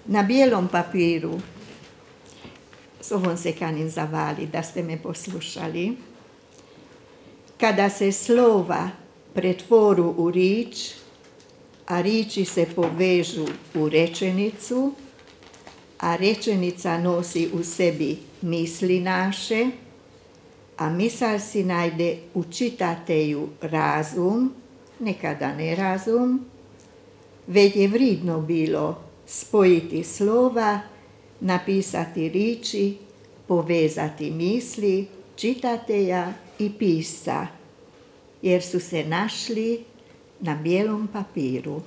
Na bijelom papiru, s ovom se kanim zavali da ste me poslušali, kada se slova pretvoru u rič, a riči se povežu u rečenicu, a rečenica nosi u sebi misli naše, a misal si najde u čitatelju razum, nekada ne razum, već je vridno bilo spojiti slova, napisati riči, povezati misli čitatelja i pisca, jer su se našli na bijelom papiru.